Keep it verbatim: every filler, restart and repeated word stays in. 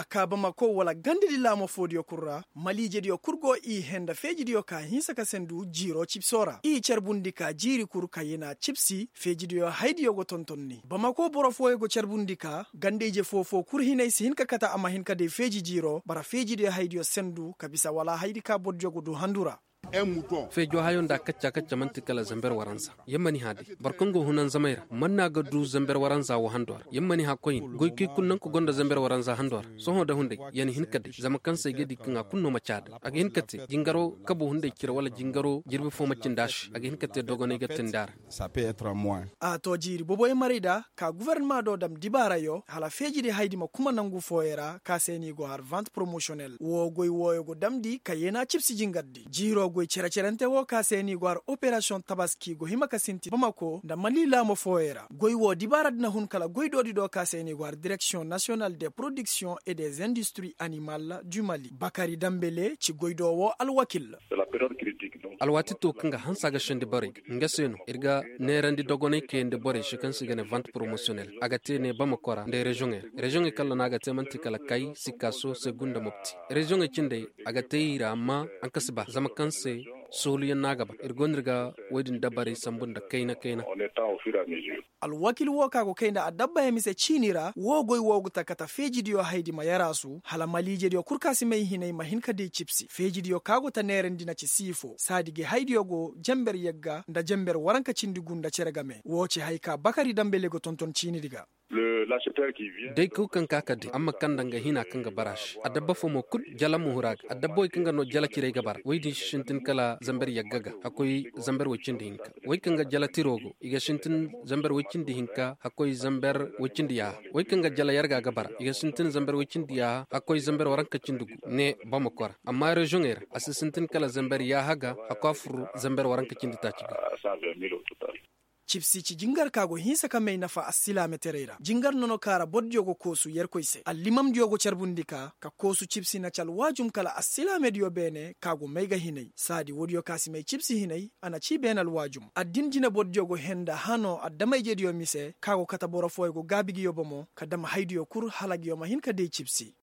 A kaa bamako wala gandadi laamu foodiyo kul ra. Maliijediyo kul go i hee nda feejidiyo ka hinsa ka sendu jiiroo cibsoo ra i carbundi ka jiiri kul ka yena cibsi feejidiyo haydiyo go tonton ni bamako boro fooyo go carbundi ka ganda-ije foo-foo kul hinay si hin ka kate a ma hin ka day feeji jiiroo bara feejidiyo haydiyo sendu ka bisa wala haydi ka bordiyo go du handu ra. Feejo hayo nda kacca kacca man'ti kala zamber waranza. Yer ma ni hã day boro kaŋ go hunanzamay ra man no a ga du zamber waranza wo hando ra yer ma ni hã koyne goykoy kul nangu ka gonda zamber waranza hando ra. Sohõ nda hunday yer na hin ka day zama kaŋ se ay ga di kaŋ a kulu no ma caada a ga hin ka te jingaro kabo hunday cire wala jingaro jirbi fo ma cindi a se a ga hin ka te dogonay ga tindi a ra. A to jiiri boboy maray da ka gofornama do dam dibaarayo hala feejidi haydi ma kuma nangu fooyo ra ka se no i go har vant poromosiyonel woo goy wooyo go damndi ka yeena cibsi jingardi jiiroo goy cere-cerante woo ka se no i go har operasiyoŋ tabaski go hima ka sinti bamako nda mali laamo fooyo ra goy woo dibaaradi na hun kala goy doodi do ka se no i go har direksiyoŋ nasiyonal de porodiksiyoŋ e de zendistiri animal du mali bakari dambele ci goy do woo alwakil. Alwaati to kaŋ ga hanse a ga sendi borey ga nga se no ir ga neerandi dogonay kayandi borey se kaŋ se i ga ne vant poromosiyonel a ga te ne bamako ra nda reziyoŋey ra reziyoŋey kaŋ ra no a ga te man'ti kala kay sikaaso seegu nda mopti. Reziyoŋey cindey a ga te i ra amma haŋ ka si ba zama kaŋ se sooluyaŋ no a ga ba ir go no ir ga woy din dabarey sambu nda kayna kayna. Alwakil woo ka go kay nda adabba yaŋ mise ciini ra woo goy woo ga ta kate feejidiyo haydi ma yaraasu hala maliijediyo kul ka si may hinay ma hin ka di cibsi feejidiyo ka go ta neerandi na ci siifo saadi gi haydiyo go jenber yagga nda jenber waranka cindi gu nda cere game woo ci hay ka bakari dambele go tonton ciinidi ga. Day kaw kaŋ ka ka day amma kaŋ nda nga hina kaŋ ga bara a se adabba fo mo kul jala muhura ga adabba wey kaŋ ga no jala ciray ga bara wey din si sintin kala zamber yagga ga hakkoy zamber wey cindi hinka wey kaŋ ga jala tiro go i ga sintin zamber wey cindi hinka hakkoy zamber wey cindi yaaha wey kaŋ ga jala yarga ga bara i ga sintin zamber wey cindi yaaha hakkoy zamber waranka cindi gu ne bamako ra amma reziyoŋey ra a si sintin kala zamber yaaha ga hakkoy a fur zamber waranka cindi taaci ga. Cibsi ci jingar ka go hinsa ka may nafa alsilaametaray ra jingar nono ka ra bordiyo go koosu yerkoy se allimamdiyo go carbundi ka ka koosu cibsi na ci alwaajum kala alsilaamediyo beene ka go may ga hinay saadi woodiyo ka si may cibsi hinay a na ci beene alwaajum addin jinebordiyo go hee nda hano adama-ijediyo mise ka go kate boro fooyo go gaabi nguyo bomo ka dam haydiyo kul hala nguyo ma hin ka day cibsi.